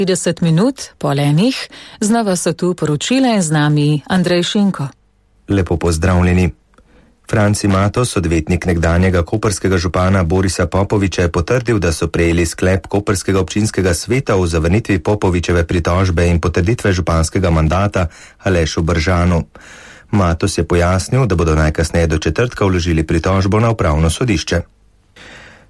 30 minut po enih, znova so tu poročila in z nami Andrej Šinko. Lepo pozdravljeni. Franci Matos, odvetnik nekdanjega koprskega župana Borisa Popoviča, je potrdil, da so prejeli sklep koprskega občinskega sveta o zavrnitvi Popovičeve pritožbe in potrditve županskega mandata Alešu Bržanu. Matos je pojasnil, da bodo najkasneje do četrtka vložili pritožbo na upravno sodišče.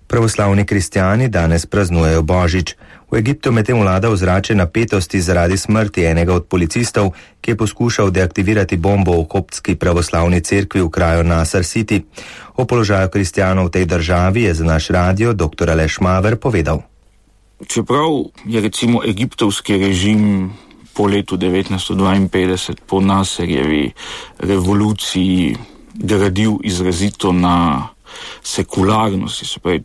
Pravoslavni kristjani danes praznujejo Božič. V Egiptu medtem vlada ozračje napetosti zaradi smrti enega od policistov, ki je poskušal deaktivirati bombo v koptski pravoslavni cerkvi v kraju Nasr City. O položaju kristjanov v tej državi je za naš radio dr. Aleš Maver povedal. Čeprav je recimo egiptovski režim po letu 1952, po Nasserjevi revoluciji, gradil izrazito na sekularnosti, se pravi,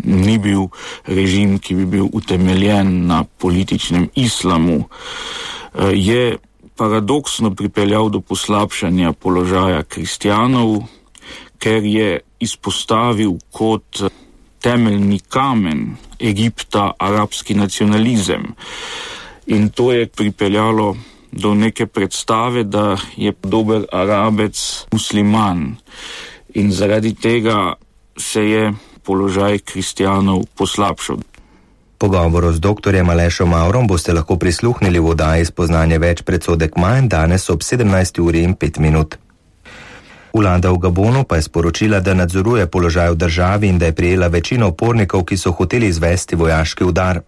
ni bil režim, ki bi bil utemeljen na političnem islamu, je paradoksno pripeljal do poslabšanja položaja kristjanov, ker je izpostavil kot temeljni kamen Egipta arabski nacionalizem. In to je pripeljalo do neke predstave, da je dober Arabec musliman. In zaradi tega se je položaj kristjanov poslabšal. Pogovoru z doktorjem Alešom Mavrom boste lahko prisluhnili v oddaji Spoznanje več predsodek manj danes ob 17:05. Vlada v Gabonu pa je sporočila, da nadzoruje položaj v državi in da je prijela večino upornikov, ki so hoteli izvesti vojaški udar.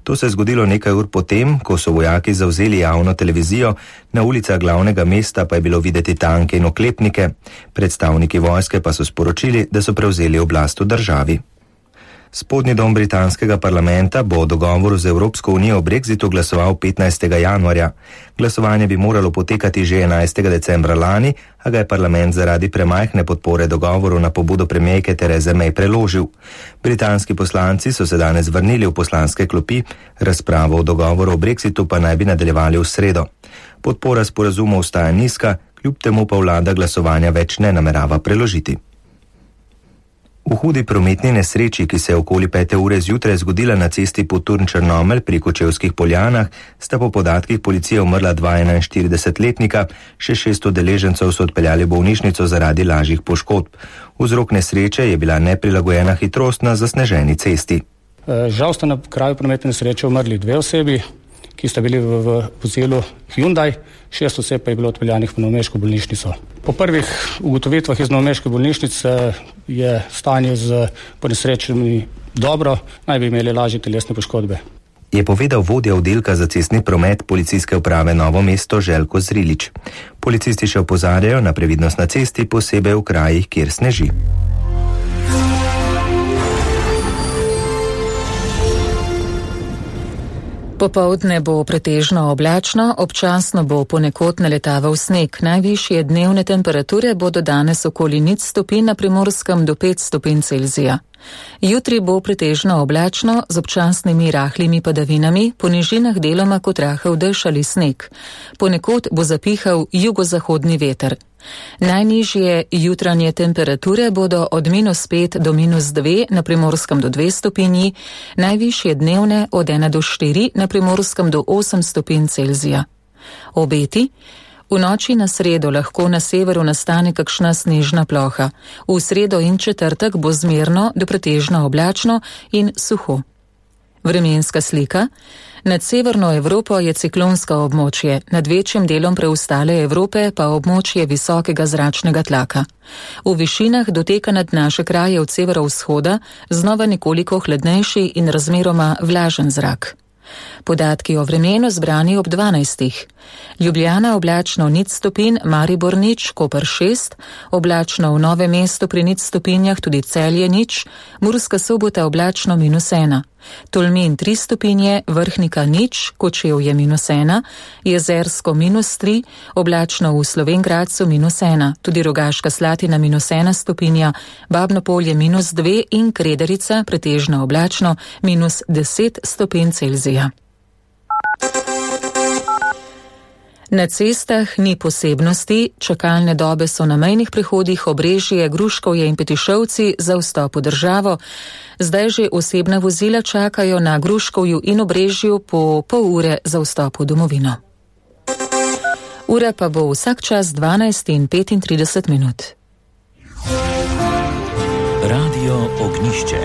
To se je zgodilo nekaj ur potem, ko so vojaki zavzeli javno televizijo, na ulicah glavnega mesta pa je bilo videti tanke in oklepnike. Predstavniki vojske pa so sporočili, da so prevzeli oblast v državi. Spodnji dom britanskega parlamenta bo o dogovoru z Evropsko unijo o Brexitu glasoval 15. januarja. Glasovanje bi moralo potekati že 11. decembra lani, a ga je parlament zaradi premajhne podpore dogovoru na pobudo premierke Therese May preložil. Britanski poslanci so se danes vrnili v poslanske klopi, razpravo o dogovoru o Brexitu pa naj bi nadaljevali v sredo. Podpora sporazumu ostaja nizka, kljub temu pa vlada glasovanja več ne namerava preložiti. V hudi prometni nesreči, ki se je okoli 5. ure zjutraj zgodila na cesti Poturn-Črnomelj pri Kočevskih Poljanah, sta po podatkih policije umrla 41-letnika, še 600 udeležencev so odpeljali v bolnišnico zaradi lažjih poškodb. Vzrok nesreče je bila neprilagojena hitrost na zasneženi cesti. Žal sta na kraju prometne nesreče umrli 2 osebi, ki sta bili v vozilu Hyundai, 6 oseb pa je bilo odpeljanih v novomeško bolnišnico. Po prvih ugotovitvah iz novomeške bolnišnice je stanje z ponesrečenimi dobro, naj bi imeli lažje telesne poškodbe. Je povedal vodja oddelka za cestni promet policijske uprave Novo mesto Željko Zrilič. Policisti še opozarjajo na previdnost na cesti, posebej v krajih, kjer sneži. Popoldne bo pretežno oblačno, občasno bo ponekod naletaval sneg. Najvišje dnevne temperature bodo danes okoli 0 stopinj, na Primorskem do 5 stopinj Celzija. Jutri bo pretežno oblačno z občasnimi rahlimi padavinami, po nižinah deloma kot rahel dež ali sneg. Ponekod bo zapihal jugozahodni veter. Najnižje jutranje temperature bodo od -5 do -2, na Primorskem do 2 stopinji, najvišje dnevne od 1 do 4, na Primorskem do 8 stopinj Celzija. Obeti: v noči na sredo lahko na severu nastane kakšna snežna ploha. V sredo in četrtek bo zmerno do pretežno oblačno in suho. Vremenska slika. Nad severno Evropo je ciklonsko območje, nad večjim delom preostale Evrope pa območje visokega zračnega tlaka. V višinah doteka nad naše kraje od severovzhoda znova nekoliko hladnejši in razmeroma vlažen zrak. Podatki o vremenu zbrani ob 12. Ljubljana oblačno 0 stopinj, Maribor 0, Koper 6, oblačno v Novem mestu pri 0 stopinjah, tudi Celje 0, Murska Sobota oblačno -1, Tolmin 3 stopinje, Vrhnika 0, Kočevje -1, Jezersko -3, oblačno v Slovenj Gradcu -1, tudi Rogaška Slatina -1 stopinja, Babno Polje -2 in Krederica pretežno oblačno -10 stopinj Celzija. Na cestah ni posebnosti, čakalne dobe so na mejnih prehodih Obrežje, Gruškovje in Petišovci za vstop v državo. Zdaj že osebna vozila čakajo na Gruškovju in Obrežju po pol ure za vstop v domovino. Ura pa bo vsak čas 12:35. Radio Ognišče.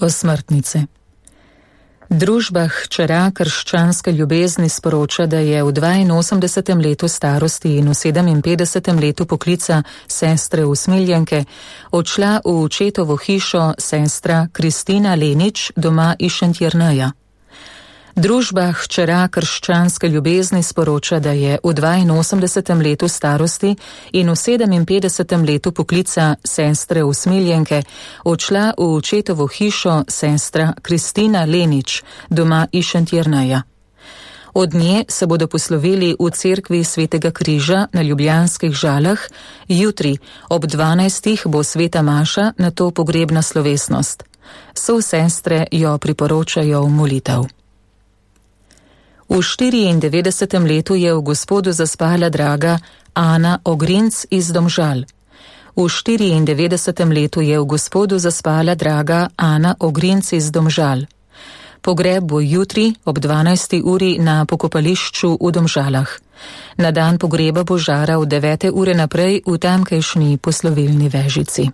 Osmrtnice. Družba hčera krščanske ljubezni sporoča, da je v 82. letu starosti in v 57. letu poklica sestre usmiljenke odšla v očetovo hišo sestra Kristina Lenič doma iz Šentjerneja. Družba hčera krščanske ljubezni sporoča, da je v 82. letu starosti in v 57. letu poklica sestre usmiljenke odšla v očetovo hišo sestra Kristina Lenič doma iz Šentjerneja. Od nje se bodo poslovili v cerkvi Svetega križa na Ljubljanskih Žalah, jutri ob 12. bo sveta maša, nato pogrebna slovesnost. Sestre jo priporočajo v molitev. V 94. letu je v Gospodu zaspala draga Ana Ogrinc iz Domžal. V 94. letu je v Gospodu zaspala draga Ana Ogrinc iz Domžal. Pogreb bo jutri ob 12. uri na pokopališču v Domžalah. Na dan pogreba bo žara od 9. ure naprej v tamkajšnji poslovilni vežici.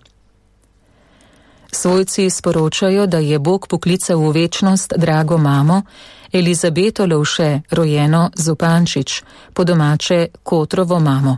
Svojci sporočajo, da je Bog poklical v večnost drago mamo Elizabeto Lovše, rojeno Zupančič, po domače Kotrovo mamo.